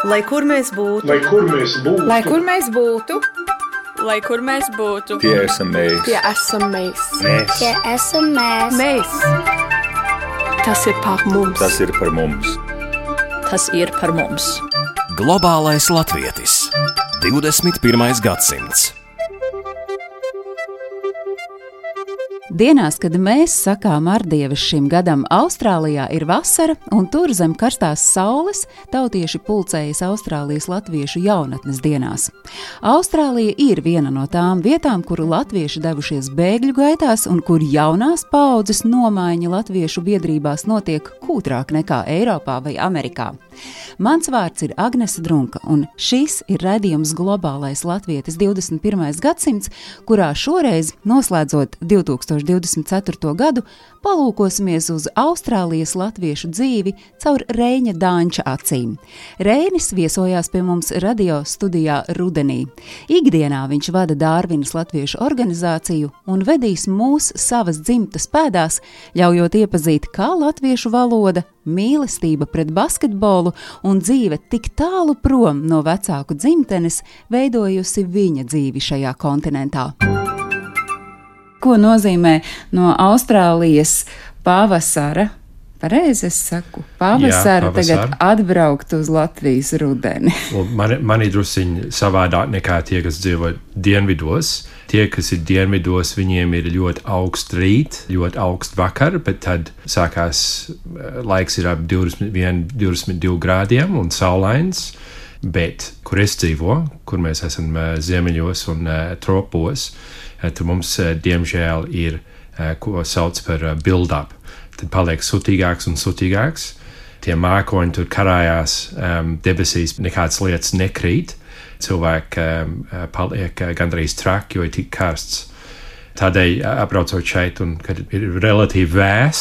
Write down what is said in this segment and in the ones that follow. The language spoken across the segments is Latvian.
Lai kur mēs būtu, lai kur mēs būtu, lai kur mēs būtu, lai kur mēs būtu, tie esam mēs. tie esam mēs. Tie esam mēs. Mēs. Tas ir par mums. Tas ir par mums. tas ir par mums. Globālais latvietis. 21. gadsimts. Dienās, kad mēs sakām ardievas šim gadam, Austrālijā ir vasara, un tur zem karstās saules tautieši pulcējas Austrālijas latviešu jaunatnes dienās. Austrālija ir viena no tām vietām, kuru latvieši devušies bēgļu gaitās, un kur jaunās paaudzes nomaiņa latviešu biedrībās notiek kūtrāk nekā Eiropā vai Amerikā. Mans vārds ir Agnese Drunka, un šis ir raidījums Globālais latvietis 21. gadsimts, kurā šoreiz, noslēdzot 2024. gadu, palūkosimies uz Austrālijas latviešu dzīvi caur Reiņa Dāņča acīm. Reinis viesojās pie mums radio studijā rudenī. Ikdienā viņš vada Dārvinas latviešu organizāciju un vedīs mūs savas dzimtas pēdās, ļaujot iepazīt, kā latviešu valoda, mīlestība pret basketbolu un dzīve tik tālu prom no vecāku dzimtenes veidojusi viņa dzīvi šajā kontinentā. Ko nozīmē no Austrālijas pavasara? Pareizi es saku, pavasara tagad atbraukt uz Latvijas rudeni. Man ir drusciņi savādāk nekā tie, kas dzīvo dienvidos. Tie, kas ir dienvidos, viņiem ir ļoti augsts rīt, ļoti augsts vakar, bet tad sākās laiks ir ap 21-22 grādiem un saulains. Bet, kur es dzīvo, kur mēs esam ziemeļos un tropos, tur mums, diemžēl, ir, ko sauc par build-up. Tad paliek sutīgāks un sutīgāks. Tie mākoņi tur karājās, debesīs nekādas lietas nekrīt. Cilvēki paliek gandrīz traki, jo ir tik karsts. Tādēļ apbraucot šeit, un kad ir relatīvi vēss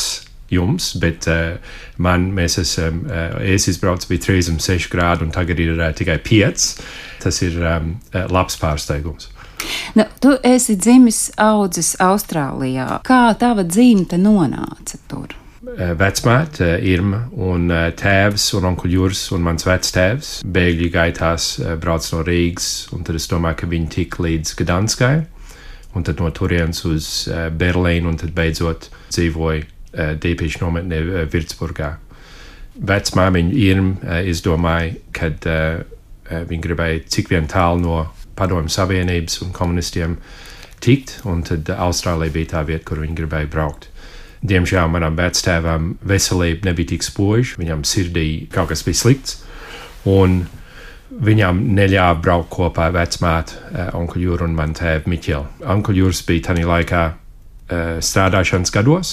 jums, bet es izbraucu, bija 36 grādi, un tagad ir tikai 5. Tas ir labs pārsteigums. Nu, tu esi dzimis audzis Austrālijā. Kā tava dzimte nonāca tur? Vecmāte Irma un tēvs un onkuļ Juris un mans vectēvs bēgļu gaitās brauc no Rīgas, un tad es domāju, ka viņi tik līdz Gdanskai, un tad no turienes uz Berlīnu, un tad beidzot dzīvoja dīpīšu nometnē Virtsburgā. Vecmāmiņa Irma izdomāja, kad viņa gribēja cik vien tālu no Padomju Savienības un komunistiem tikt, un tad Austrālija bija tā vieta, kur viņi gribēja braukt. Diemžēl manam vectēvam veselība nebija tik spoža, viņam sirdī kaut kas bija slikts, un viņam neļāva braukt kopā vecmāte, onkuļ Juru un man tēvu Miķeli. Onkuļ Juris bija tanī laikā strādāšanas gados,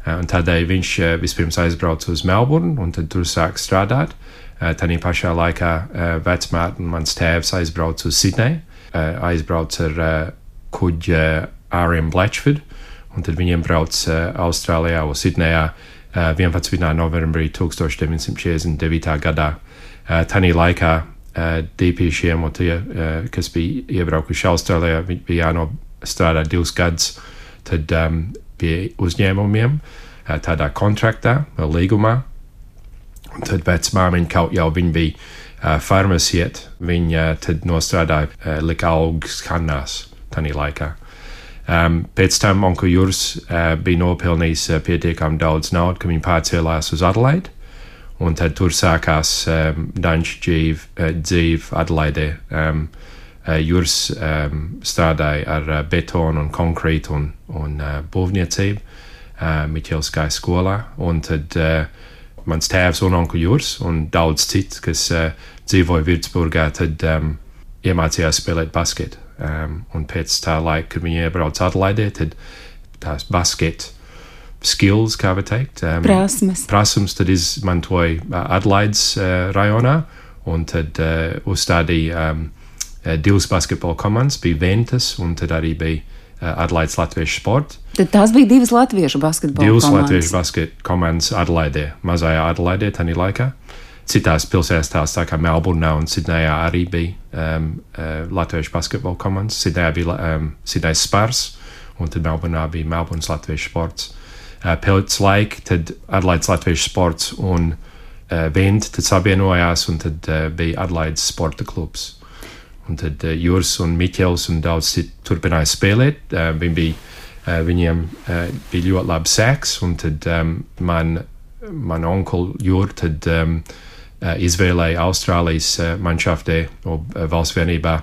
un tādēļ viņš vispirms aizbrauca uz Melburnu, un tad tur sāk strādāt. Tanī pašā laikā vecmāte un mans tēvs aizbrauca uz Sidneju, aizbrauca ar kuģi R.M. Bletchford, un tad viņiem brauc Austrālijā un Sidnejā 11. novembrī 1949. gadā. Tanī laikā dīpīšiem un tie, kas bija iebraukuši Austrālijā, bija jānostrādā 2 gadus tad pie uzņēmumiem, tādā kontraktā, līgumā. Un tad vecmāmiņa kaut jau viņa bija farmasiet, viņa tad nostrādāja lika augus kannās tanī laikā. Pēc tam onkuļ Juris bija nopelnījis pietiekami daudz naudu, ka viņi pārcēlās uz Adelaidi, un tad tur sākās Dāņu dzīve Adelaidē. Juris strādāja ar betonu un konkrītu un būvniecību Miķeles gāja skolā, un tad mans tēvs un onkuļ Juris un daudz citu, kas dzīvoja Virtsburgā, tad iemācījās spēlēt basketu. Un pēc tā laika, kad viņi iebrauca Adelaidē, tad tās basket skills, kā var teikt, prasmes tad izmantoja Adelaides rajonā, un tad uzstādīja 2 basketbola komandas, bija Ventas, un tad arī bija Adelaides latviešu sporta. Tad tās bija 2 latviešu basketbola komandas. 2 latviešu basketbola komandas Adelaidē, mazajā Adelaidē, tanī laikā. Citās pilsētās, tā kā Melburnā un Sidnejā arī bija latviešu basketbola komandas. Sidnejā bija Sidnejas Spars, un tad Melburnā bija Melburnas latviešu sports. Pēc laika tad Adelaides latviešu sports un Vent, tad savienojās, un tad bija Adlaides sporta klubs. Un tad Juris un Miķels un daudz turpināja spēlēt. Viņiem bija ļoti labi seks, un tad man onkul Jur tad izvēlēja Austrālijas manšaftē valsts vienībā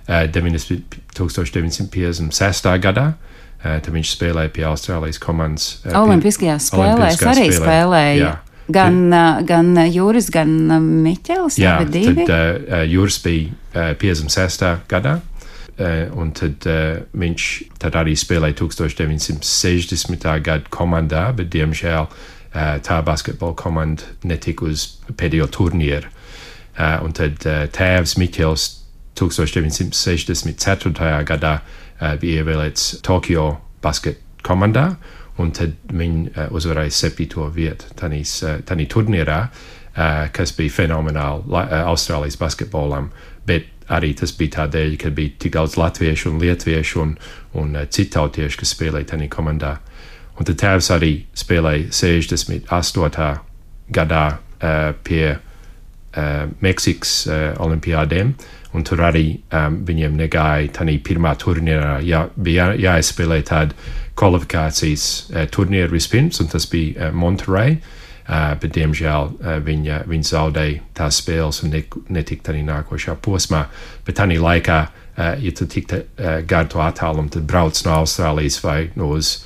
1956. gadā. Tad viņš spēlēja pie Austrālijas komandas. Olimpiskajās spēlēs arī spēlēja. Jā. Gan Juris, gan Miķels. Jā, tad Juris bija 56. gadā, un tad viņš tad arī spēlēja 1960. gada komandā, bet diemžēl tā basketbola komanda netika uz pēdējo turnīru. Un tad tēvs Miķels 1964. gadā bija ievēlēts Tokio basket komandā, un tad viņi uzvarēja 7. vietu tanī turnīrā, kas bija fenomenāli Austrālijas basketbolam, bet arī tas bija tādēļ, ka bija tik daudz latviešu un lietuviešu un citautiešu, kas spēlēja tanī komandā. Un tad tēvs arī spēlēja 68. gadā pie Meksikas olimpiādēm, un tur arī viņiem negāja tanī pirmā turnīrā, bija jāizspēlē tāda kvalifikācijas turnīru vispirms, un tas bija Monterey, bet diemžēl viņi zaudēja tās spēles un netika tanī nākošā posmā. Bet tanī laikā, ja tu tiktu gar to attālumu, tad brauc no Austrālijas vai uz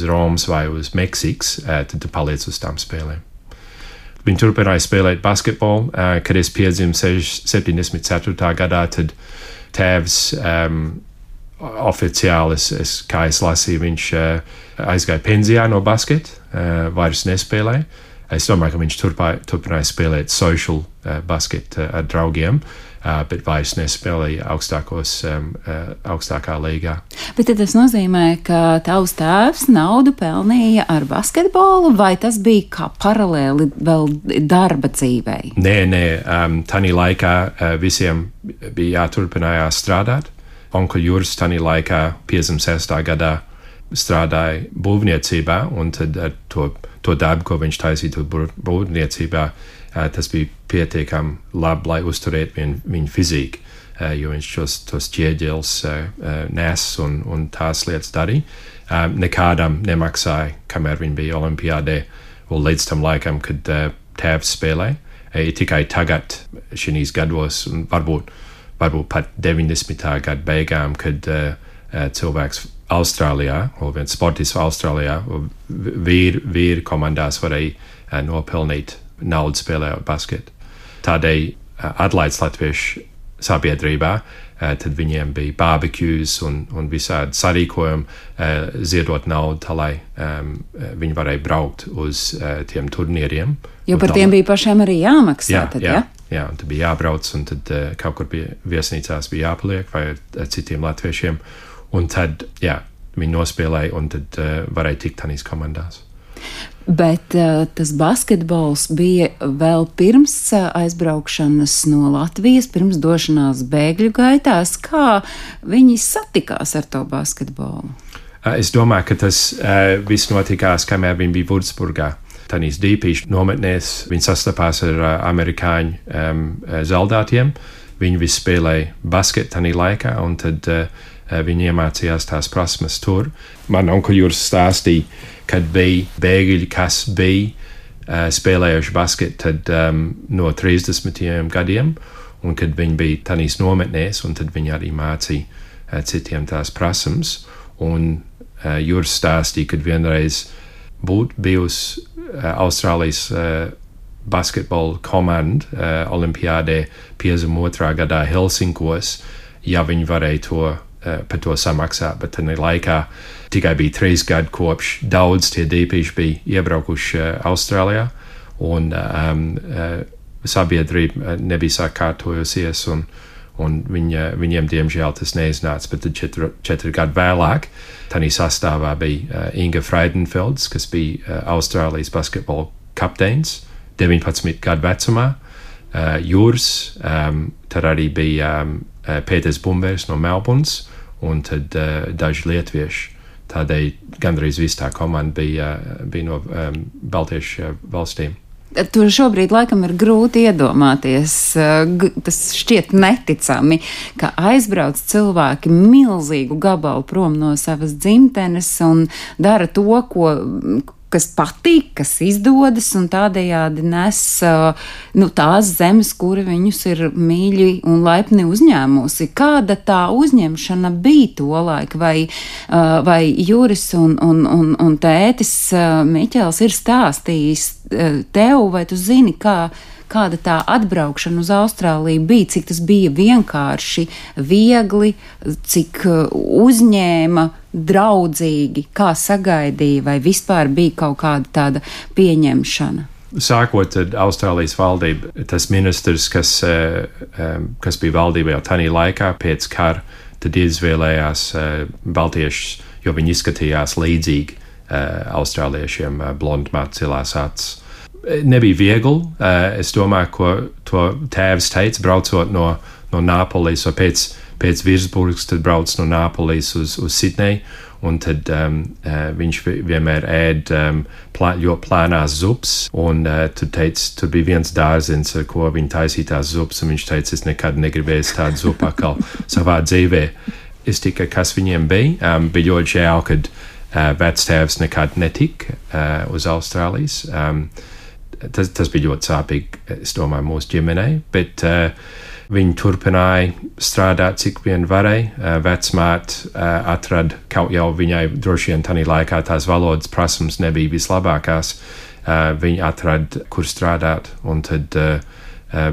Romas vai uz Meksikas, tad tu paliec uz tām spēlēm. Viņi turpināja spēlēt basketbolu, kad es piedzimu 74. gadā, tad tēvs oficiāli, kā es lasīju, viņš aizgāja pensijā no basketa, vairs nespēlēja. Es domāju, ka viņš turpināja spēlēt social basket ar draugiem, bet vairs nespēlēja augstākā līgā. Bet tad tas nozīmē, ka tavs tēvs naudu pelnīja ar basketbolu, vai tas bija kā paralēli vēl darba dzīvei? Nē, tanī laikā visiem bija jāturpinājās strādāt. Onkuļ Juris tanī laikā 56. gadā strādāja būvniecībā, un tad ar to darbu, ko viņš taisīja būvniecībā, tas bija pietiekami labi, lai uzturētu viņu fiziku, jo viņš tos ķieģeļus nes un tās lietas darīja. Nekādam nemaksāja, kamēr viņi bija olimpiādē, un līdz tam laikam, kad tēvs spēlēja. Tikai tagad, šīs gados, un varbūt pat 90. gada beigām, kad cilvēks Austrālijā, vai viens sportists Austrālijā, vīri komandās varēja nopelnīt naudu spēlējot basketu. Tādēļ Adlaides latviešu sabiedrībā, tad viņiem bija barbecues un visādi sarīkojumi, ziedot naudu, tā lai viņi varēja braukt uz tiem turnīriem. Jo par tiem bija pašiem arī jāmaksā. Jā, un tad bija jābrauc, un tad kaut kur bija viesnīcās bija jāpaliek vai ar citiem latviešiem. Un tad, viņi nospēlēja, un tad varēja tikt tanīs komandās. Bet tas basketbols bija vēl pirms aizbraukšanas no Latvijas, pirms došanās bēgļu gaitās. Kā viņi satikās ar to basketbolu? Es domāju, ka tas viss notikās, kamēr viņi bija Vudsburgā. Tanīs dīpīšu nometnēs viņi sastapās ar amerikāņu zaldātiem. Viņi visi spēlēja basketu tanī laikā, un tad viņi iemācījās tās prasmes tur. Man onkuļ Juris stāstīja, kad bija bēgļi, kas bija spēlējuši basketu tad no 30 gadiem, un kad viņi bija tanīs nometnēs, un tad viņi arī mācīja citiem tās prasmes. Un Juris stāstīja, kad vienreiz būtu bijusi Austrālijas basketbola komanda olimpiādē 52. gadā Helsinkos, ja viņi varēja par to samaksāt, bet tajā laikā tikai bija 3 gadi kopš daudz tie dīpīši bija iebraukuši Austrālijā, un sabiedrība nebija sakārtojusies, un viņiem diemžēl tas neiznāca, bet tad 4 gadi vēlāk tanī sastāvā bija Inga Freidenfelds, kas bija Austrālijas basketbola kapteinis 19 gadu vecumā, Juris, tad arī bija Pēters Bumbers no Melburnas, un tad daži lietuvieši. Tādēļ gandrīz viss tā komanda bija no Baltiešu valstīm. To šobrīd laikam ir grūti iedomāties. Tas šķiet neticami, ka aizbrauc cilvēki milzīgu gabalu prom no savas dzimtenes un dara to, kas patīk, kas izdodas, un tādējādi nes tās zemes, kuri viņus ir mīļi un laipni uzņēmusi. Kāda tā uzņemšana bija tolaik, vai Juris un tētis Miķels ir stāstījis tev, vai tu zini, kāda tā atbraukšana uz Austrāliju bija, cik tas bija vienkārši, viegli, cik uzņēma, draudzīgi, kā sagaidīja, vai vispār bija kaut kāda tāda pieņemšana? Sākot ar Austrālijas valdību, tas ministrs, kas bija valdībā jau tanī laikā pēc kara, tad izvēlējās baltiešus, jo viņi izskatījās līdzīgi austrāliešiem, blondmāt, cilās acis. Nebija viegli. Es domāju, ko to tēvs teica, braucot no Nāpolis, vai pēc Virsburgas, tad brauc no Nāpolis uz Sidneju, un tad viņš vienmēr ēd ļoti plānās zupas, un tur bija viens dārzins, ar ko viņi taisīja tās zupas, un viņš teica, es nekad negribēju tādu zupu atkal savā dzīvē. Es tikai, kas viņiem bija, bija ļoti žēl, kad vectēvs nekad netika uz Austrālijas. Tas bija ļoti sāpīgi, es domāju, mūsu ģimenei, bet viņi turpināja strādāt, cik vien varēja. Vecmāte atrada kaut jau viņai droši vien tanī laikā tās valodas prasmes nebija vislabākās. Viņi atrada, kur strādāt, un tad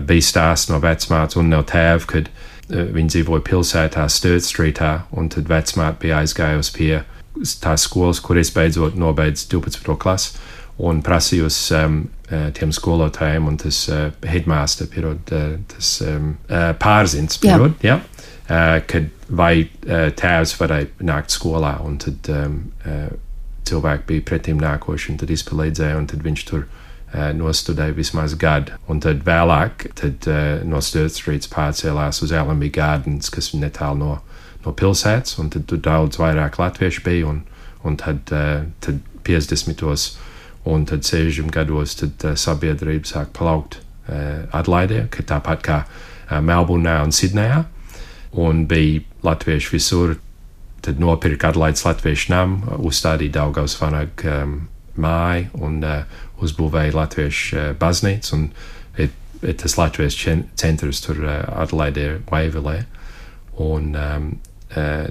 bija stāsts no vecmātes un no tēva, kad viņi dzīvoja pilsētā Sturt Streetā, un tad vecmāte bija aizgājusi pie tās skolas, kur es beidzot nobeidzu 12. klasi, un prasījusi tiem skolotājiem, un tas headmaster, tas pārzins, kad vai tēvs varēja nākt skolā, un tad cilvēki bija pretim nākoši, un tad izpalīdzēja, un tad viņš tur nostudēja vismaz gadu. Un tad vēlāk no Sturt Streets pārcēlās uz Allenby Gardens, kas ir netālu no pilsētas, un tad tur daudz vairāk latviešu bija, un tad 50. Un tad 60 gados sabiedrība sāk palaukt Adlaidē, ka tāpat kā Melburnā un Sidnejā, un bija latvieši visur. Tad nopirka Adlaides latviešu namu, uzstādīja Daugavas vanagu māju un uzbūvēja latviešu baznīcu, un ir tas latviešu centrs tur Adlaidē, Vaivilē. Un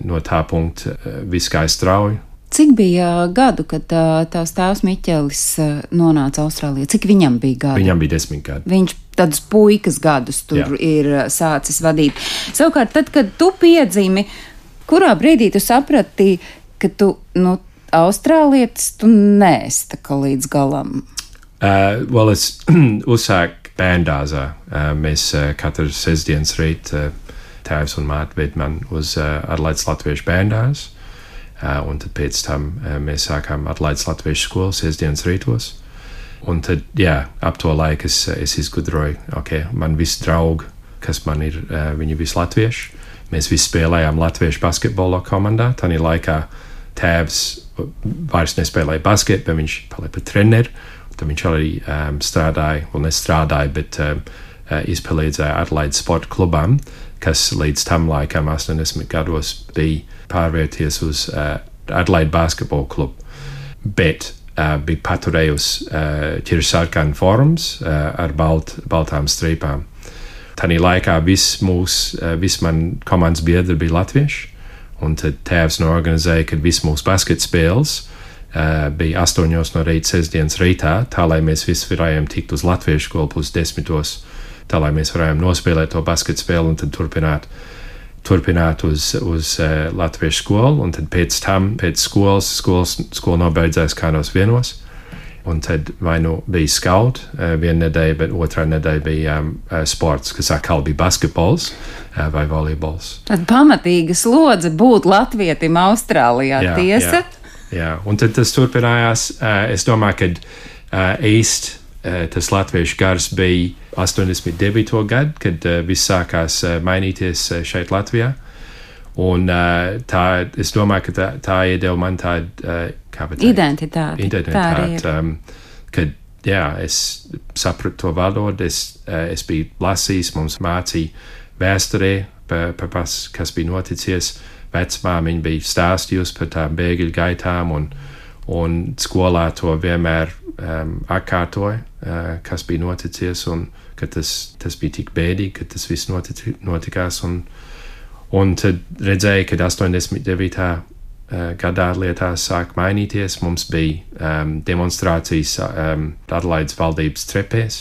no tā punkta viss gāja strauji. Cik bija gadu, kad tavs tēvs Miķelis nonāca Austrālijā? Cik viņam bija gadu? Viņam bija 10 gadi. Viņš tādus puikas gadus tur ir sācis vadīt. Savukārt, tad, kad tu piedzimi, kurā brīdī tu saprati, ka tu, austrālietis, tu neesi tā kā līdz galam? Es uzsāku bērndārzā. Mēs katru sestdienas rīt tēvs un māte ved man uz Adlaides latviešu bērndārzu. Un tad pēc tam mēs sākām Adlaides latviešu skolu sestdienas rītos. Un tad, ap to laiku es izgudroju, man visi draugi, kas man ir, viņi visi latvieši. Mēs visi spēlējām latviešu basketbola komandā. Tanī laikā tēvs vairs nespēlēja basketu, bet viņš palika par treneri. Tad viņš arī nestrādāja, bet izpalīdzēja Adlaides sporta klubam, kas līdz tam laikam 80 gados bija pārvērties uz Adlaide basketbola klubu. Bet bija paturējusi ķirsarkanu forums ar baltām strīpām. Tanī laikā viss man komandas biedri bija latvieši, un tad tēvs norganizēja, kad viss mūsu basketa spēles bija 8 no rīta sestdienas rītā, tā lai mēs visi varējām tikt uz latviešu skolu plus 10, tā lai mēs varējām nospēlēt to basketa spēli un tad turpināt uz latviešu skolu, un tad pēc skola nobeidzās kādos 1, un tad vai bija skaut viena nedēļa, bet otrā nedēļa bija sports, kas atkal bija basketbols vai volejbols. Tad pamatīga slodze būt latvietim Austrālijā, tiesa? Jā, un tad tas turpinājās. Es domāju, ka tas latviešu gars bija 89. gadu, kad viss sākās mainīties šeit Latvijā. Un es domāju, ka tā iedeva man tādu identitāti. Kad es sapratu to valodu, es biju lasījis, mums mācīja vēsturē par kas bija noticies. Vecmāmiņa bija stāstījusi par tām bēgļu gaitām, un skolā to vienmēr atkārtoja, kas bija noticies, un ka tas bija tik bēdīgi, ka tas viss notikās. Un tad redzēja, kad 89. Gadā lietās sāk mainīties. Mums bija demonstrācijas Adelaides valdības trepēs.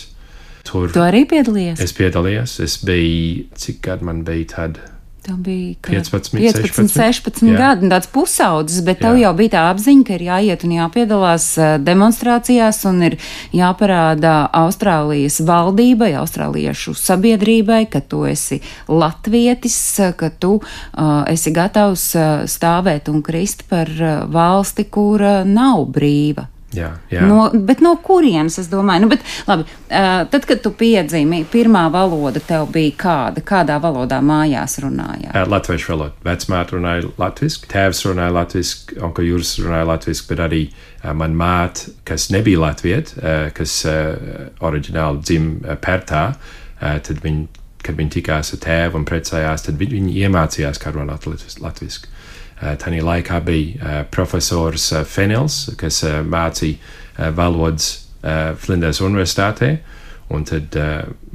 Tur Tu arī piedalījies? Es piedalījos. Es biju, cik gadu man bija tad? Tev bija 15, 16 gadi, tāds pusaudzis, bet tev jau bija tā apziņa, ka ir jāiet un jāpiedalās demonstrācijās un ir jāparāda Austrālijas valdībai, austrāliešu sabiedrībai, ka tu esi latvietis, ka tu esi gatavs stāvēt un krist par valsti, kura nav brīva. Jā. Bet no kurienes, es domāju? Bet, labi, tad, kad tu piedzimi, pirmā valoda tev bija kādā valodā mājās runājāt? Latviešu valoda. Vecmāte runāja latviski, tēvs runāja latviski, onkel Juris runāja latviski, bet arī man māte, kas nebija latvieta, kas oriģināli dzima Pertā, tad kad viņi tikās ar tēvu un precējās, tad viņi iemācījās, kā runāt latviski. Tanī laikā bija profesors Fenels, kas mācīja valodas Flinders universitātē, un tad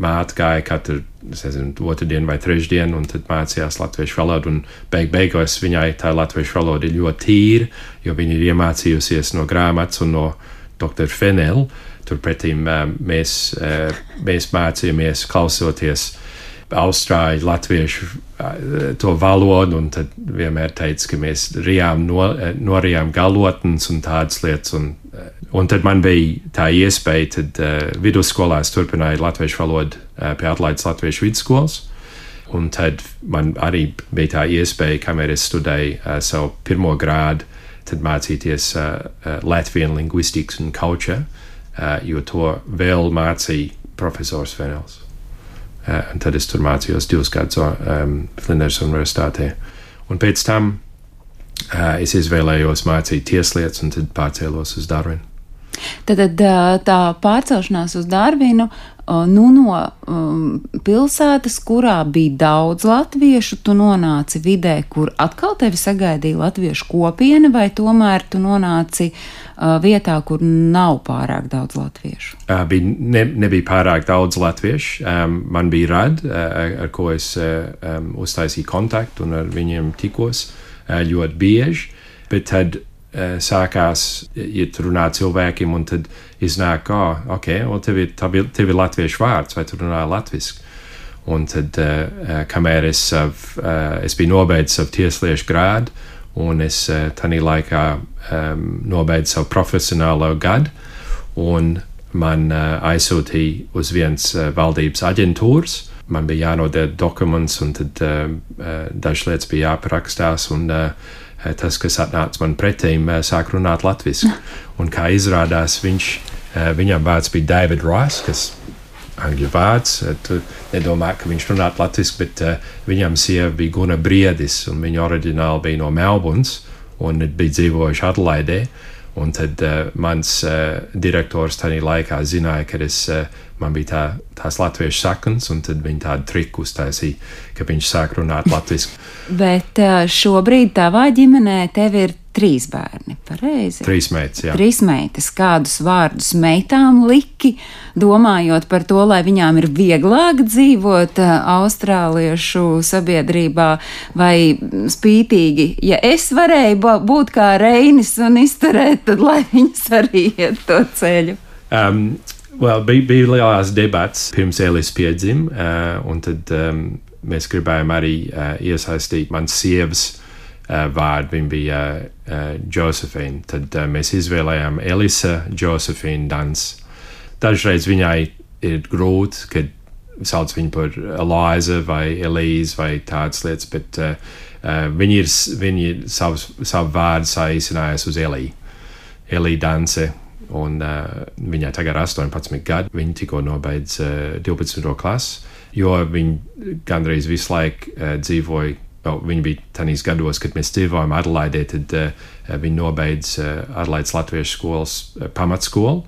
māte gāja katru, otrdien vai trešdien, un tad mācījās latviešu valodu, un beigās viņai tā latviešu valoda ir ļoti tīra, jo viņa ir iemācījusies no grāmatas un no doktora Fenela. Turpretī mēs mācījāmies klausoties austrāļu latviešu to valodu, un tad vienmēr teica, ka mēs norijām galotnes un tādas lietas. Un tad man bija tā iespēja, tad vidusskolā es turpināju latviešu valodu pie Adelaides Latviešu vidusskolas, un tad man arī bija tā iespēja, kamēr es studēju savu pirmo grādu, tad mācīties Latvian linguistics un culture, jo to vēl mācīja profesors Fenels. Un tad es tur mācījos 2 gadus Flinders universitātē. Un pēc tam es izvēlējos mācīt tieslietas un tad pārcēlos uz Darwinu. Tad tā pārcelšanās uz Darwinu no pilsētas, kurā bija daudz latviešu, tu nonāci vidē, kur atkal tevi sagaidīja latviešu kopiena, vai tomēr tu nonāci vietā, kur nav pārāk daudz latviešu? Nebija pārāk daudz latviešu. Man bija radi, ar ko es uztaisīju kontaktu un ar viņiem tikos ļoti bieži, bet tad sākās, ja tu runā cilvēkiem, un tad iznāk, tev ir latviešu vārds, vai tu runā latviski. Un tad, kamēr es biju nobeidzis savu tiesliešu grādu, un es tanī laikā nobeidzu savu profesionālo gadu, un man aizsūtīja uz viens valdības aģentūras. Man bija jānodod dokuments, un tad dažas lietas bija jāparakstās, un tas, kas atnāca man pretīm, sāk runāt latviski. Un kā izrādās, viņam vārds bija David Ross, kas angļu vārds. Tu nedomā, ka viņš runāt latviski, bet viņam sieva bija Guna Briedis, un viņa oriģināli bija no Melburnas, un bija dzīvojuši Adelaidē. Un tad mans direktors tajā laikā zināja, ka man bija tās latviešu saknes, un tad viņi tādu triku uztaisīja, ka viņš sāk runāt latviski. Bet šobrīd tavā ģimenē tev ir 3 bērni, pareizi? 3 meitas, jā. 3 meitas. Kādus vārdus meitām liki, domājot par to, lai viņām ir vieglāk dzīvot austrāliešu sabiedrībā, vai spītīgi, ja es varēju būt kā Reinis un izturēt, tad lai viņas arī iet to ceļu? Bija lielās debats pirms Elis piedzima, un tad mēs gribējām arī iesaistīt mans sievas vārdu. Viņa bija Josephine. Tad mēs izvēlējām Elisa Josephine Dans. Dažreiz viņai ir grūti, kad sauc viņu par Eliza vai Elise vai tādas lietas, bet viņi savu vārdu saīsinājusi uz Elī. Elī Danse. Un viņai tagad ir 18 gadi. Viņa tikko nobeidz 12. klasi, jo viņa gandrīz visu laiku dzīvoja. Viņa bija tajos gados, kad mēs dzīvojām Adelaidē, tad viņa nobeidz Adelaides Latviešu skolas pamatskolu.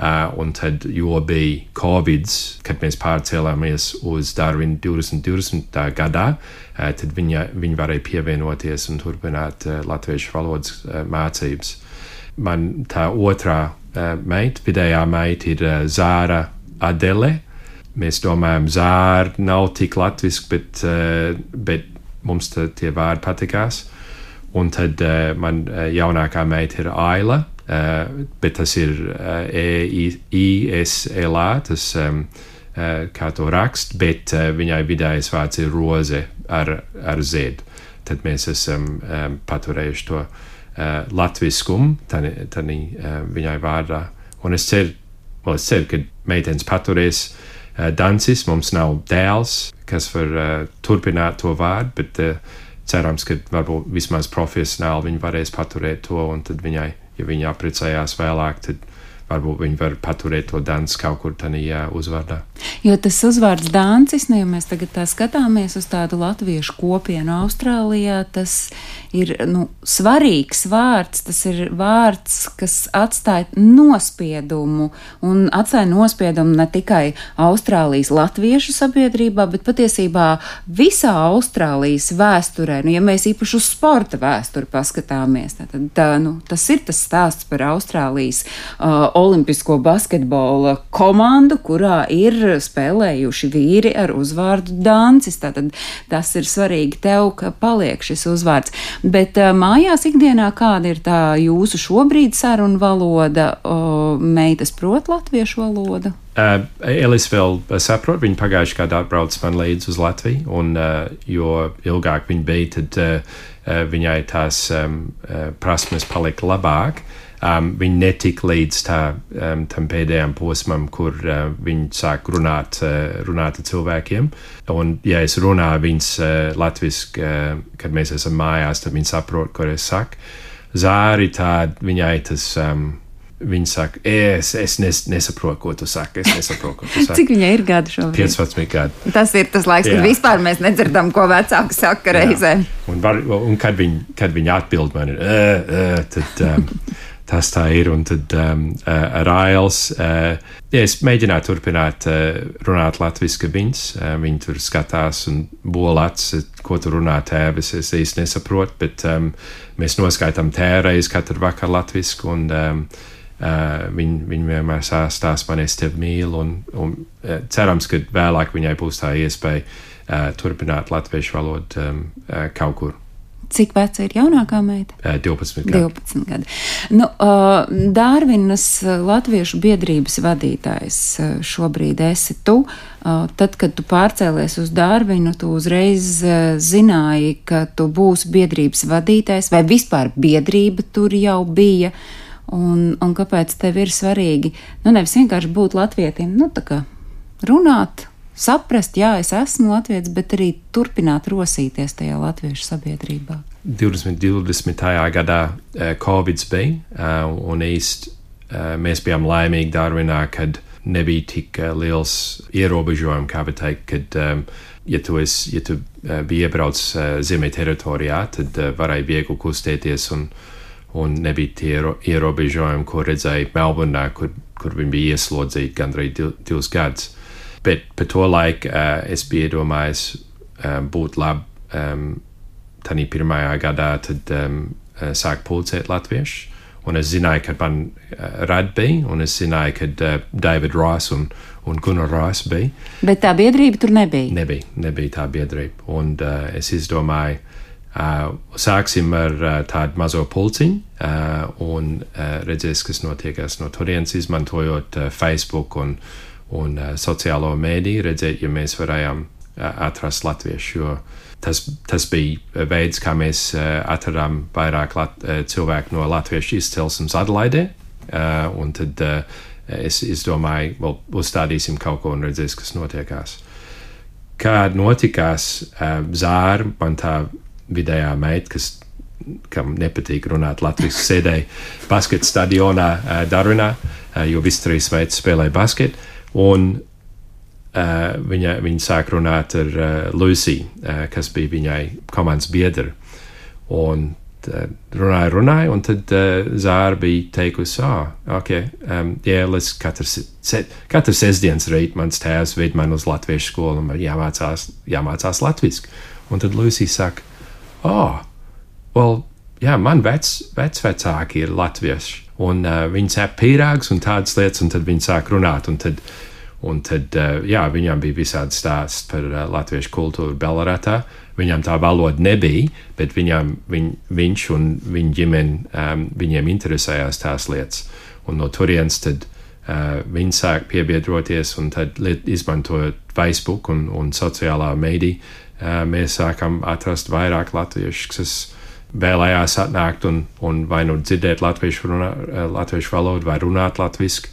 Un tad, jo bija Covid, kad mēs pārcēlāmies uz Darwinu 2020. gadā, tad viņi varēja pievienoties un turpināt latviešu valodas mācības. Man tā otrā meita, vidējā meita ir Zāra Adele. Mēs domājam, Zāra nav tik latviski, bet mums tie vārdi patikās. Un tad man jaunākā meita ir Aila, bet tas ir E-I-S-L-A, tas kā to rakst, bet viņai vidējais vārds ir Roze ar Z. Tad mēs esam paturējuši to latviskumu viņai vārdā. Un es ceru, ka meitenes paturēs dancis, mums nav dēls, kas var turpināt to vārdu, bet cerams, ka varbūt vismaz profesionāli viņi varēs paturēt to, un tad viņai, ja viņi apprecējās vēlāk, tad varbūt viņi var paturēt to danci kaut kur tādā uzvārdā. Jo tas uzvārds Dāncis, ja mēs tagad tā skatāmies uz tādu latviešu kopienu Austrālijā, tas ir svarīgs vārds, tas ir vārds, kas atstāja nospiedumu, un atstāja nospiedumu ne tikai Austrālijas latviešu sabiedrībā, bet patiesībā visā Austrālijas vēsturē. Ja mēs īpaši uz sporta vēsturi paskatāmies, tad tas ir tas stāsts par Austrālijas olimpisko basketbola komandu, kurā ir spēlējuši vīri ar uzvārdu Dāncis. Tātad tas ir svarīgi tev, ka paliek šis uzvārds. Bet mājās ikdienā kāda ir tā jūsu šobrīd saruna valoda? Meitas prot latviešu valodu? Elis vēl saprot, viņa pagājuši gadā atbrauc man līdz uz Latviju, un jo ilgāk viņa bija, tad viņai tās prasmes palika labāk. Viņi netika līdz tam pēdējām posmam, kur viņi sāk runāt ar cilvēkiem. Un, ja es runāju viņas latviski, kad mēs esam mājās, tad viņi saprot, ko es saku. Zāri tāda, viņai tas, viņa saka, es nesaprotu, ko tu saki, Cik viņai ir gadi šobrīd? 15 gadi. Tas ir tas laiks, kad vispār mēs nedzirdam, ko vecāki saka reizēm. Un kad viņi atbild man, tad... Tas tā ir, un tad ar Ails, es mēģināju turpināt runāt latviski viņas, viņi tur skatās un bolats, ko tu runā tēvis, es īsti nesaprotu, bet mēs noskaitām tēreiz katru vakar latviski, un viņi vienmēr stāst man, es tevi mīlu, un cerams, ka vēlāk viņai būs tā iespēja turpināt latviešu valodu kaut kur. Cik veca ir jaunākā meita? 12 gadi. 12 gadi. Dārvinas latviešu biedrības vadītājs šobrīd esi tu. Tad, kad tu pārcēlies uz Dārvinu, tu uzreiz zināji, ka tu būsi biedrības vadītājs, vai vispār biedrība tur jau bija, un kāpēc tev ir svarīgi, nevis vienkārši būt latvietim, tā kā runāt, saprast, jā, es esmu latvietis, bet arī turpināt rosīties tajā latviešu sabiedrībā. 2020. gadā Covid bija, un mēs bijām laimīgi Darwinā, kad nebija tik liels ierobežojumi, kā var teikt, kad, ja tu biji iebraucis Zeme teritorijā, tad varēja viegli kustēties, un nebija tie ierobežojumi, ko redzēja Melburnā, kur viņi bija ieslodzīti gandrīz 2 gadus. Bet par to laiku es biju iedomājies būt labi tādā pirmajā gadā, tad sāk pulcēt latviešu. Un es zināju, ka man rad bija, un es zināju, ka David Ross un Gunnar Ross bija. Bet tā biedrība tur nebija? Nebija tā biedrība. Un es izdomāju, sāksim ar tādu mazo pulciņu un redzēs, kas notiekās no turienes, izmantojot Facebook un sociālo mēdīju, redzēt, ja mēs varējām atrast latviešu, jo tas bija veids, kā mēs atradām vairāk cilvēku no latviešu izcelsmes Adelaidē, un tad es domāju, uzstādīsim kaut ko un redzēs, kas notiekās. Kā notikās, Zāra, man tā vidējā meita, kam nepatīk runāt latviski, sēdēja basketa stadionā Darwinā, jo visi 3 meitas spēlēja basketu. Un viņa sāk runāt ar Lucy, kas bija viņai komandas biedra. Un runāju, un tad Zāra bija teikusi, katru sestdienas rīt mans tēvs ved man uz latviešu skolu, un jāmācās latviski. Un tad Lucy saka, man vecvecāki ir latvieši, un viņi cep pīrāgus un tādas lietas, un tad viņi sāk runāt, un tad viņam bija visādi stāsts par latviešu kultūru Belleratā. Viņam tā valoda nebija, bet viņš un viņa ģimene, viņiem interesējās tās lietas. Un no turienes tad viņi sāk piebiedroties, un tad izmantojot Facebook un sociālā mēdī, mēs sākam atrast vairāk latviešus, kas vēlējās atnākt un vai nu dzirdēt latviešu valodu vai runāt latviski.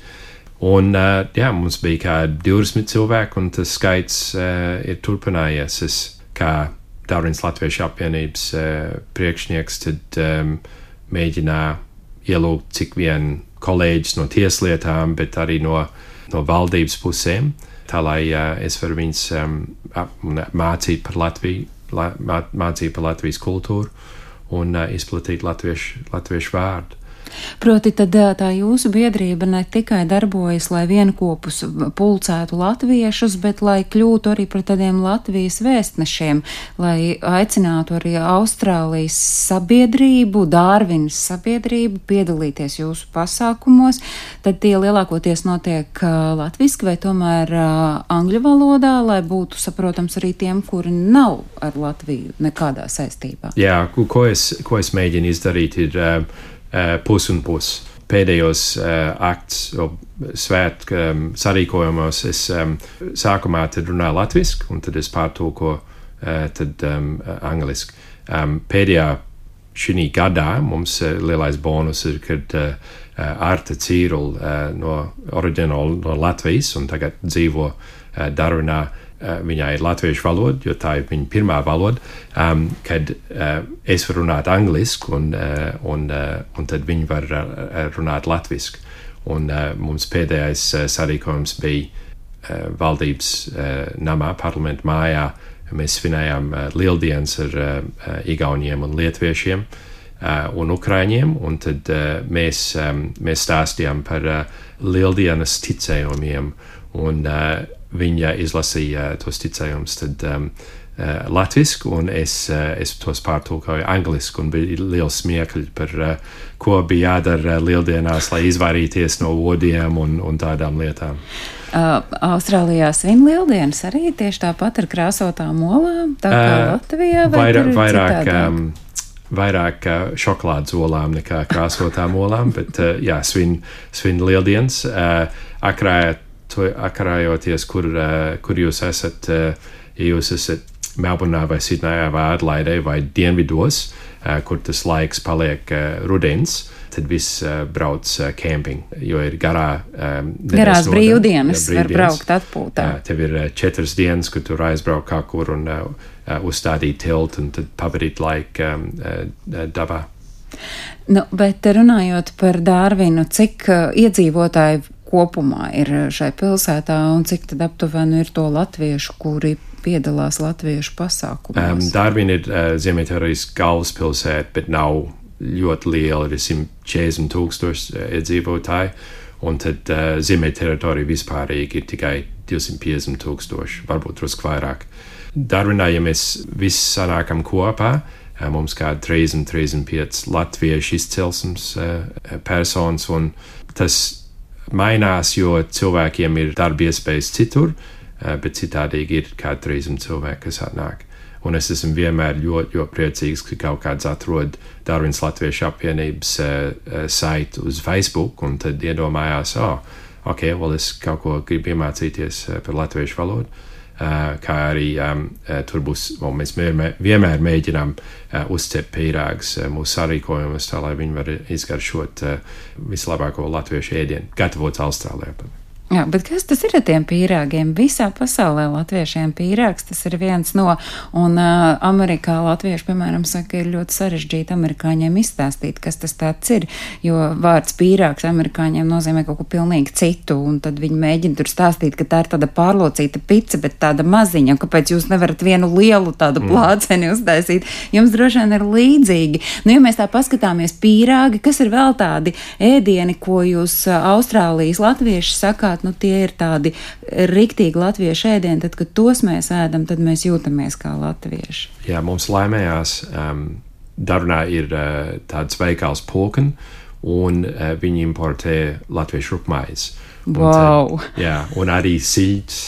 Un mums bija kā 20 cilvēki, un tas skaits ir turpinājies. Es kā Darvīnas Latviešu apvienības priekšnieks tad mēģināju ielūgt cik vien kolēģis no tieslietām, bet arī no valdības pusēm, tā lai es varu viņus mācīt par Latvijas kultūru un izplatīt latviešu vārdu. Proti, tad tā jūsu biedrība ne tikai darbojas, lai vienkopus pulcētu latviešus, bet lai kļūtu arī par tādiem Latvijas vēstnešiem, lai aicinātu arī Austrālijas sabiedrību, Darvinas sabiedrību piedalīties jūsu pasākumos. Tad tie lielākoties notiek latviski vai tomēr angļu valodā, lai būtu saprotams arī tiem, kuri nav ar Latviju nekādā saistībā. Jā, ko es mēģinu izdarīt ir pus un pus. Pēdējos akts svētku sarīkojumos es sākumā tad runāju latviski, un tad es pārtulkoju tad angliski. Pēdējā šī gadā mums lielais bonus ir, kad Arta Cīrula oriģināli no Latvijas un tagad dzīvo Darvinā. Viņai ir latviešu valoda, jo tā ir viņa pirmā valoda, kad es varu runāt angliski un tad viņi var runāt latviski. Un mums pēdējais sarīkojums bija valdības namā, parlamentu mājā. Mēs svinējām lieldienas ar igauniem un lietviešiem un ukraiņiem, un tad mēs stāstījām par lieldienas ticējumiem, un viņa izlasīja tos ticējumus tad latviski, un es tos pārtulkoju angliski, un bija liels smiekļi par ko bija jādara lieldienās, lai izvairīties no odiem un tādām lietām. Austrālijā svin lieldienas arī tieši tāpat ar krāsotām olām, tā kā Latvijā, vai tur ir citādāk? Vairāk šokolādes olām nekā krāsotām olām, bet svin lieldienas. Akarājoties, kur jūs esat, ja jūs esat Melburnā vai Sidnejā vai Adlaidē vai dienvidos, kur tas laiks paliek rudens, tad viss brauc camping, jo ir garās brīvdienas var braukt atpūtā. Tev ir 4 dienas, kur tur aizbraukt kā kur un uzstādīt tiltu un tad pavadīt laiku dabā. Bet runājot par Darvinu, cik iedzīvotāji kopumā ir šai pilsētā un cik tad aptuveni ir to latviešu, kuri piedalās latviešu pasākumos? Darvina ir Ziemeļteorijas galvaspilsēta, bet nav ļoti liela, ir 140,000 iedzīvotāji, un tad Ziemeļteritorija vispārīgi ir tikai 250,000, varbūt drusku vairāk. Darvinā, ja mēs visi sanākam kopā, mums kā 30-35 latviešu izcelsmes personas, un tas mainās, jo cilvēkiem ir darba iespējas citur, bet citādīgi ir kā 300 cilvēki, kas atnāk. Un es esmu vienmēr ļoti priecīgs, ka kaut kāds atrod Darvinas Latviešu apvienības saitu uz Facebook, un tad iedomājās, es kaut ko gribu iemācīties par latviešu valodu. Kā arī tur būs, mēs vienmēr mēģinām uzcept pīrāgus mūsu sarīkojumus, tā lai viņi var izgaršot vislabāko latviešu ēdienu, gatavots Austrālijā. Jā, bet kas tas ir ar tiem pīrāgiem? Visā pasaulē latviešiem pīrāgs, tas ir viens no, un Amerikā latvieši, piemēram, saka, ir ļoti sarežģīti amerikāņiem izstāstīt, kas tas tāds ir, jo vārds pīrāgs amerikāņiem nozīmē kaut ko pilnīgi citu, un tad viņi mēģina tur stāstīt, ka tā ir tāda pārlocīta pica, bet tāda maziņa, kāpēc jūs nevarat vienu lielu tādu plāceni uztaisīt, jums droši vien ir līdzīgi. Nu, ja mēs tā paskatāmies pīrāgi, kas ir vēl tādi ēdieni, ko jūs Austrālijas latvieši sakāt, nu tie ir tādi riktīgi latviešu ēdieni, tad, kad tos mēs ēdam, tad mēs jūtamies kā latvieši. Jā, mums laimējās, Darunā ir tāds veikals Pulken, un viņi importē latviešu rupmaizi. Wow! Un arī siļķis.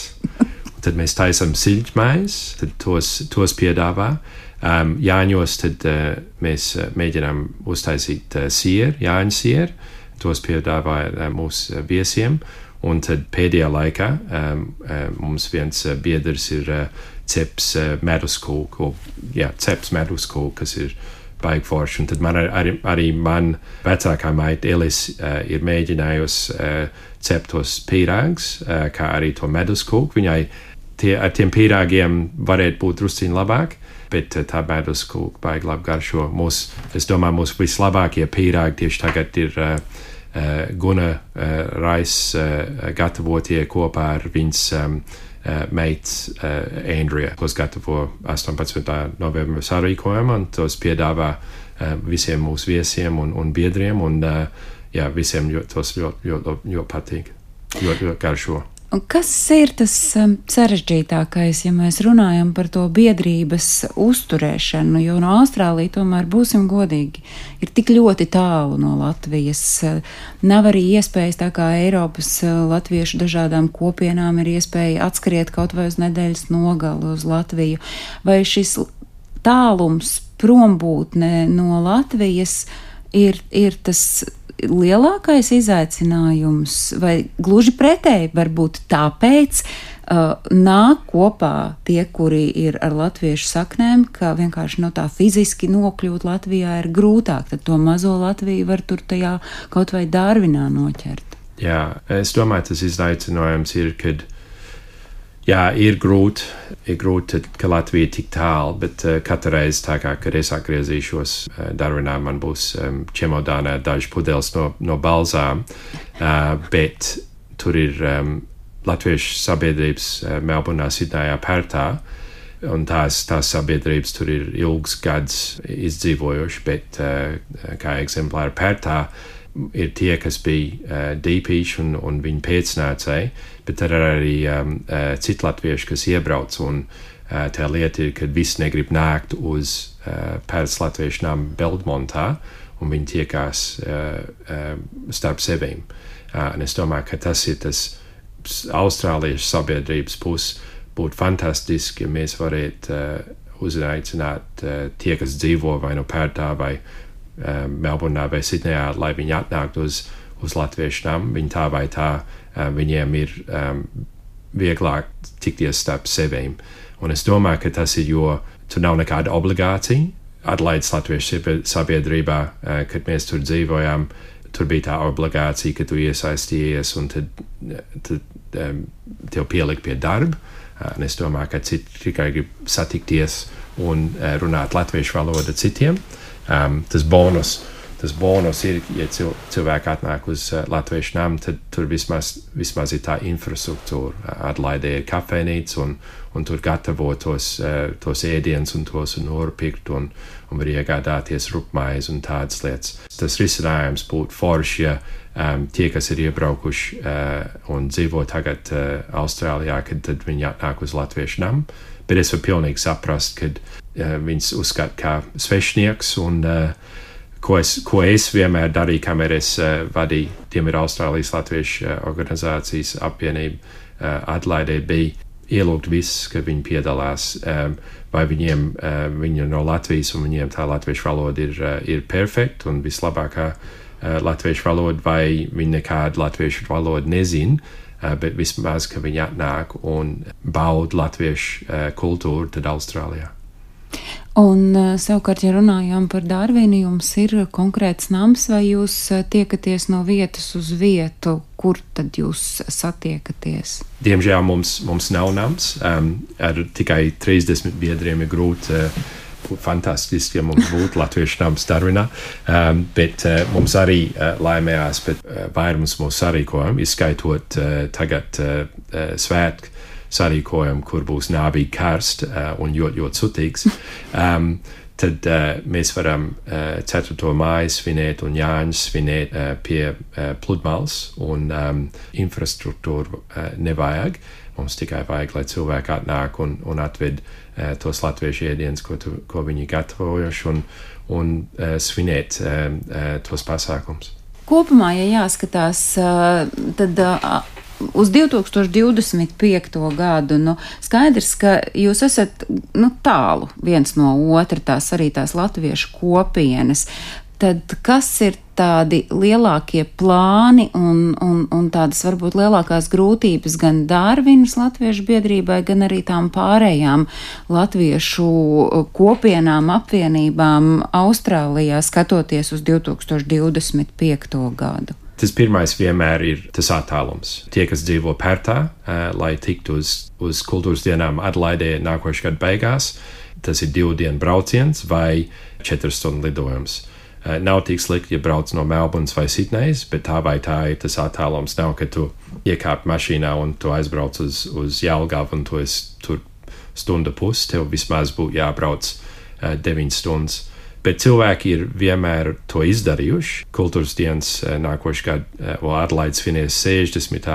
Tad mēs taisam siļķmaizi, tad tos piedāvā. Jāņos tad mēs mēģinām uztaisīt sieru, jāņu sieru, tos piedāvā mūsu viesiem. Un tad pēdējā laikā mums viens biedrs ir ceps meduskūku, kas ir baigi forši. Un tad arī man vecākā maita Elis ir mēģinājusi cept tos pīrāgus, kā arī to meduskūku. Viņai ar tiem pīrāgiem varētu būt drusciņi labāk, bet tā meduskūka baigi labi garšo. Es domāju, mūsu vislabākie pīrāgi tieši tagad ir Guna Rais gatavotie kopā ar viņas meitas Andrea, kos gatavo 18. novembra sarīkojumu, un tos piedāvā visiem mūsu viesiem un biedriem, un visiem tos ļoti patīk, ļoti garšo. Un kas ir tas sarežģītākais, ja mēs runājam par to biedrības uzturēšanu, jo no Austrālija tomēr, būsim godīgi, ir tik ļoti tālu no Latvijas. Nav arī iespējas, tā kā Eiropas latviešu dažādām kopienām ir iespēja atskriet kaut vai uz nedēļas nogali uz Latviju. Vai šis tālums, prombūtne no Latvijas ir tas lielākais izaicinājums, vai gluži pretēji, varbūt tāpēc nāk kopā tie, kuri ir ar latviešu saknēm, ka vienkārši no tā fiziski nokļūt Latvijā ir grūtāk, tad to mazo Latviju var tur tajā kaut vai Darvinā noķert. Jā, es domāju, tas izaicinājums ir, kad ir grūti, ka Latvija ir tik tālu, bet katru reizi tā kā, kad es atgriezīšos Darvinā, man būs čemodānā daži pudeles no balzām, bet tur ir latviešu sabiedrības Melburnā, Sidnējā, Pērtā, un tās sabiedrības tur ir ilgs gads izdzīvojuši, bet kā eksemplāri Pērtā ir tie, kas bija dīpīši un viņu pēcnācēji, bet tad ir arī citi latvieši, kas iebrauc, un tā lieta ir, ka visi negrib nākt uz Pērtas latviešu namu Belmontā, un viņi tiekās starp sevīm. Un es domāju, ka tas ir tas austrāliešu sabiedrības puses. Būtu fantastiski, ja mēs varētu uzaicināt tie, kas dzīvo vai no Pērtā vai Melburnā vai Sidnejā, lai viņi atnāktu uz latviešu namu. Viņi tā vai tā, viņiem ir vieglāk tikties starp sevīm. Un es domāju, ka tas ir, jo tur nav nekāda obligācija. Atlaides latviešu sabiedrībā, kad mēs tur dzīvojām, tur bija tā obligācija, ka tu iesaistījies un tad tev pielikt pie darba. Un es domāju, ka citi tikai grib satikties un runāt latviešu valodu citiem. Tas bonus ir, ja cilvēki atnāk uz latviešu namu, tad tur vismaz ir tā infrastruktūra. Adlaidē ir kafejnīca un tur gatavo tos ēdienus un tos norpirkt un var iegādāties rupmaizi un tādas lietas. Tas risinājums būtu forši, ja tie, kas ir iebraukuši un dzīvo tagad Austrālijā, tad viņi atnāk uz latviešu namu. Bet es varu pilnīgi saprast, kad viņas uzskata kā svešnieks un ko es vienmēr darīju, kamēr es vadīju, tiem ir Austrālijas latviešu organizācijas apvienība Adlaidē, bija ielūgt visus, ka viņi piedalās, vai viņi no Latvijas un viņiem tā latviešu valoda ir perfekta un vislabākā latviešu valoda, vai viņi nekādu latviešu valodu nezin, bet vismaz, ka viņi atnāk un bauda latviešu kultūru tad Austrālijā. Un savukārt, ja runājām par Darvinu, jums ir konkrēts nams vai jūs tiekaties no vietas uz vietu, kur tad jūs satiekaties? Diemžēl mums nav nams, ar tikai 30 biedriem ir grūti. Fantastiski, ja mums būtu latviešu nams Darvinā, bet mums arī laimējās, bet vairums mūsu sarīkojumu, izskaitot tagad svētku sarīkojumu, kur būs nāvīgi karst un ļoti sutīgs, tad mēs varam 4. māju svinēt un Jāņu svinēt pie pludmales un infrastruktūru nevajag. Mums tikai vajag, lai cilvēki atnāk un atved tos latviešu ēdienus, ko viņi gatavojuši un svinēt tos pasākums. Kopumā, ja jāskatās, tad uz 2025. gadu, skaidrs, ka jūs esat tālu viens no otra, tās latviešu kopienas. Tad kas ir tādi lielākie plāni un tādas varbūt lielākās grūtības gan Darvinas latviešu biedrībai, gan arī tām pārējām latviešu kopienām, apvienībām Austrālijā, skatoties uz 2025. gadu? Tas pirmais vienmēr ir tas attālums. Tie, kas dzīvo Pērtā, lai tiktu uz kultūras dienām Adelaidē nākošā gada beigās, tas ir 2 dienu brauciens vai 4 stundu lidojums. Nav tik slikti, ja brauc no Melburnas vai Sidnejas, bet tā vai tā ir tas attālums. Nav, ka tu iekāp mašīnā un tu aizbrauc uz Jelgavu un tu esi tur stunda pusi, tev vismaz būtu jābrauc 9 stundas. Bet cilvēki ir vienmēr to izdarījuši. Kultūras dienas nākošā gada, Adelaide svinēs 60.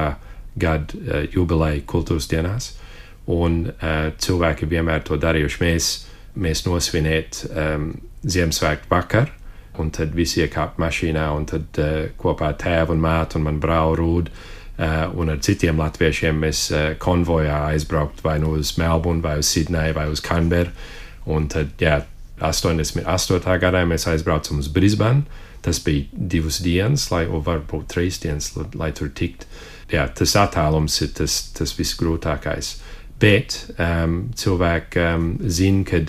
gada jubileju kultūras dienās, un cilvēki vienmēr to darījuši. Mēs nosvinēt Ziemassvētku vakar, un tad visi iekāp mašīnā, un tad kopā tēvu un mātu un man brāli Rūdu un ar citiem latviešiem mēs konvojā aizbraukt vai nu uz Melburnu, vai uz Sidneju, vai uz Canberru, un tad, 88. gadā mēs aizbraucam uz Brisbane. Tas bija 2 dienas, varbūt 3 dienas, lai tur tikt. Tas attālums ir tas visgrūtākais. Bet cilvēki zina, ka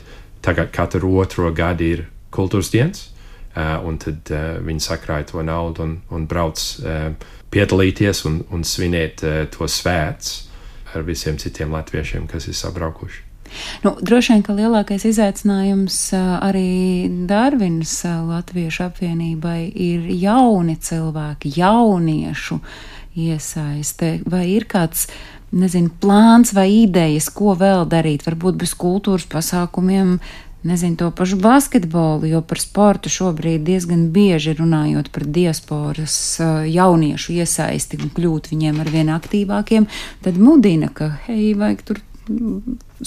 tagad katru 2. gadu ir kultūras dienas, un tad viņi sakrāja to naudu un brauc piedalīties un svinēt to svēts ar visiem citiem latviešiem, kas ir sabraukuši. Droši vien, ka lielākais izaicinājums arī Darvinas latviešu apvienībai ir jauni cilvēki, jauniešu iesaiste. Vai ir kāds, plāns vai idejas, ko vēl darīt, varbūt bez kultūras pasākumiem, to pašu basketbolu, jo par sportu šobrīd diezgan bieži runājot par diasporas jauniešu iesaisti un kļūt viņiem arvien aktīvākiem, tad mudina, ka, vajag tur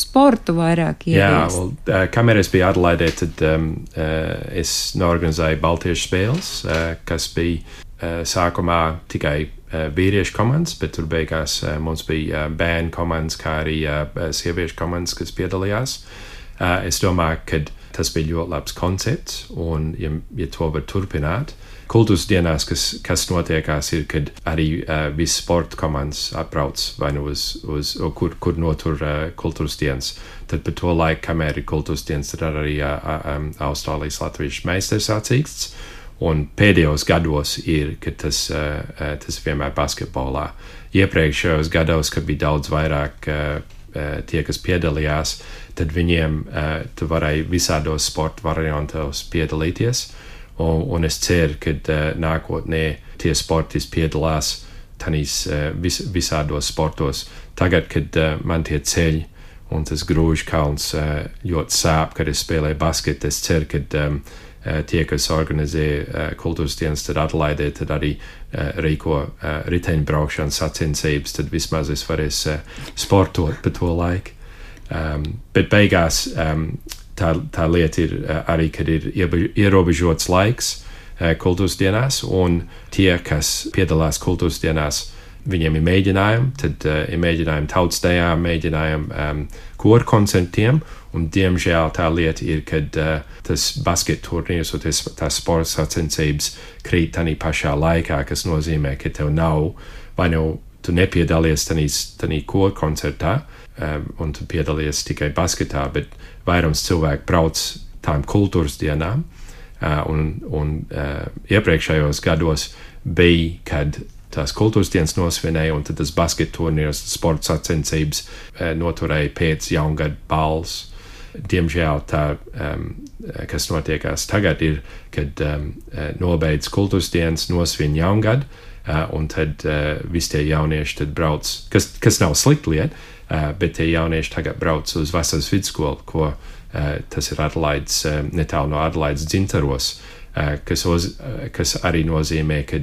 sportu vairāk ieviest. Kamēr es biju Adelaidē, tad es norganizēju Baltiešu spēles, kas bija sākumā tikai vīriešu komandas, bet tur beigās mums bija bērnu komandas, kā arī sieviešu komandas, kas piedalījās. Es domāju, ka tas bija ļoti labs koncepts, un ja to var turpināt, kultūras dienās, kas notiekās, ir, kad arī visi sporta komandas atbrauc vai nu uz kur notur kultūras dienas. Tad par to laiku, kamēr ir kultūras dienas, tad arī Austrālijas latviešu meistars sacīksts. Un pēdējos gados ir, ka tas vienmēr basketbolā. Iepriekšējos gados, kad bija daudz vairāk tie, kas piedalījās, tad viņiem tu varēji visādos sporta variantos piedalīties. Un es ceru, ka nākotnē tie sportisti piedalās visādos sportos. Tagad, kad man tie ceļi un tas grūžu kalns ļoti sāp, kad es spēlēju basketu, es ceru, ka tie, kas organizē kultūras dienas, tad Adelaidē, tad arī rīko riteņbraukšanas sacensības, tad vismaz es varēšu sportot pa to laiku. Bet beigās tā lieta ir arī, kad ir ierobežots laiks kultūras dienās, un tie, kas piedalās kultūras dienās, viņiem ir mēģinājumi, tad ir mēģinājumi tautstējām, mēģinājumi koru koncertiem, un diemžēl tā lieta ir, kad tas basket turnīrs un tās sporta sacensības krīt tanī pašā laikā, kas nozīmē, ka tev nav, vai nu tu nepiedalies tanī koru koncertā, un tu piedalies tikai basketā, bet vairums cilvēku brauc tām kultūras dienām, un iepriekšējos gados bija, kad tās kultūras dienas nosvinēja, un tad tas basketa turnīrs, sporta sacensības noturēja pēc jaungada balles. Diemžēl tā, kas notiekās tagad, ir, kad nobeidz kultūras dienas, nosvin jaungadu, un tad visi tie jaunieši tad brauc, kas nav slikta lieta, bet tie jaunieši tagad brauc uz vasaras vidusskolu, ko tas ir Adelaides, netālu no Adelaides Dzintaros, kas arī nozīmē, ka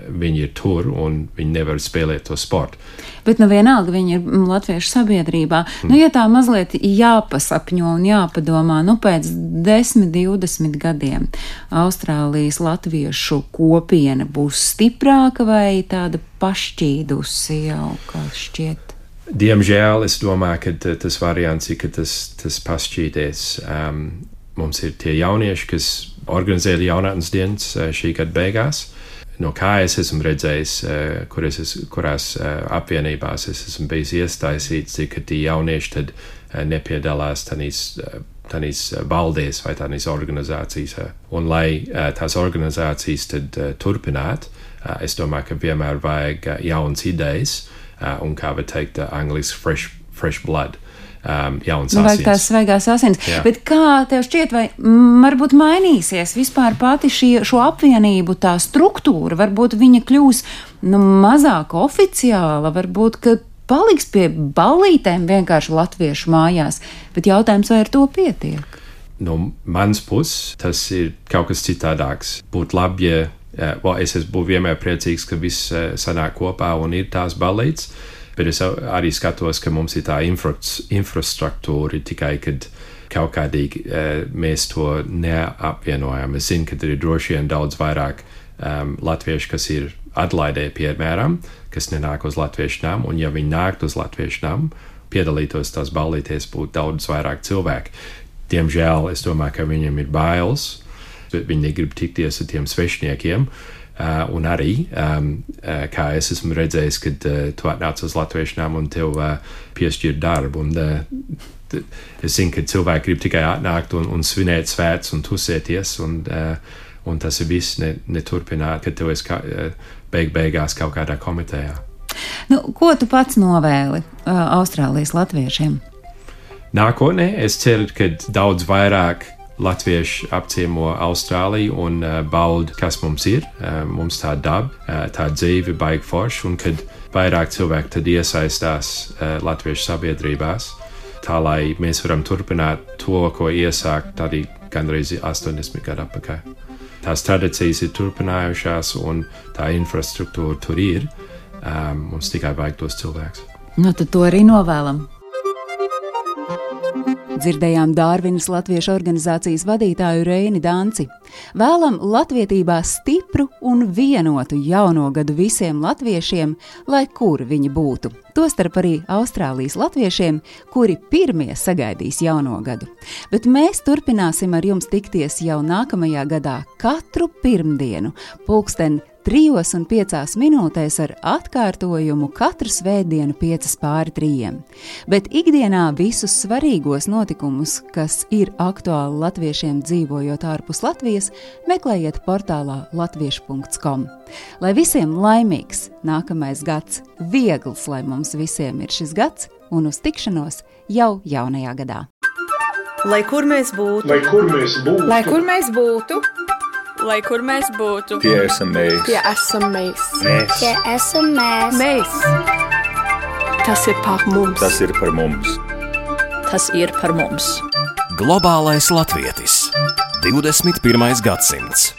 viņi ir tur un viņi nevar spēlēt to sportu. Bet vienalga viņi ir latviešu sabiedrībā. Ja tā mazliet jāpasapņo un jāpadomā, pēc 10-20 gadiem Austrālijas latviešu kopiena būs stiprāka vai tāda pašķīdusi jau, kā šķiet? Diemžēl es domāju, ka tas variants ir, ka tas pašķīties. Mums ir tie jaunieši, kas organizēja jaunatnes dienas šī gada beigās. No kā es esmu redzējis, kurās apvienībās es esmu bijis iesaistīts, ka tie jaunieši tad nepiedalās tādīs valdēs vai tādīs organizācijas. Un lai tās organizācijas tad turpinātu, es domāju, ka vienmēr vajag jaunas idejas, un kā var teikt, angliski fresh blood. Jauns asins. Vajag tās svaigās asins. Jā. Bet kā tev šķiet, vai varbūt mainīsies vispār pati šo apvienību tā struktūra? Varbūt viņa kļūs mazāk oficiāla, varbūt, ka paliks pie ballītēm vienkārši latviešu mājās, bet jautājums, vai ar to pietiek? No mans puses, tas ir kaut kas citādāks. Būtu labi, ja es būtu vienmēr priecīgs, ka viss sanāk kopā un ir tās ballītes. Bet es arī skatos, ka mums ir tā infrastruktūra tikai, kad kaut kādīgi mēs to neapvienojam. Es zinu, ka ir droši vien daudz vairāk latviešu, kas ir Adelaidē, piemēram, kas nenāk uz latviešu namu, un ja viņi nāktu uz latviešu namu, piedalītos tās ballīties, būtu daudz vairāk cilvēku. Diemžēl es domāju, ka viņiem ir bailes, bet viņi negrib tikties ar tiem svešniekiem. Un arī, kā es esmu redzējis, kad tu atnāc uz latviešu namu un tev piešķir darbu. Un es zinu, ka cilvēki grib tikai atnākt un svinēt svētus un tusēties, un tas ir viss neturpināt, kad tev esi beigās kaut kādā komitejā. Ko tu pats novēli Austrālijas latviešiem? Nākotnē es ceru, ka daudz vairāk latvieši apciemo Austrāliju un bauda, kas mums ir. Mums tā daba, tā dzīve baigi forši, un kad vairāk cilvēki tad iesaistās latviešu sabiedrībās, tā lai mēs varam turpināt to, ko iesākt arī gandrīz 80 gadu atpakaļ. Tās tradīcijas ir turpinājušās, un tā infrastruktūra tur ir. Mums tikai vajag tos cilvēkus. Tad to arī novēlam. Dzirdējām Dārvinas latviešu organizācijas vadītāju Reini Danci. Vēlam latvietībā stipru un vienotu jauno gadu visiem latviešiem, lai kur viņi būtu. Tostarp arī Austrālijas latviešiem, kuri pirmie sagaidīs jauno gadu. Bet mēs turpināsim ar jums tikties jau nākamajā gadā katru pirmdienu, 3:05 ar atkārtojumu katru svētdienu 2:55. Bet ikdienā visus svarīgos notikumus, kas ir aktuāli latviešiem dzīvojot ārpus Latvijas, meklējiet portālā latviešu.com. Lai visiem laimīgs nākamais gads, viegls, lai mums visiem ir šis gads, un uz tikšanos jau jaunajā gadā. Lai kur mēs būtu, Lai kur mēs būtu, lai kur mēs būtu, Tie esam mēs. tie esam mēs. Tie esam mēs. Mēs. Tas ir par mums. Tas ir par mums. tas ir par mums. Globālais latvietis. 21. gadsimts.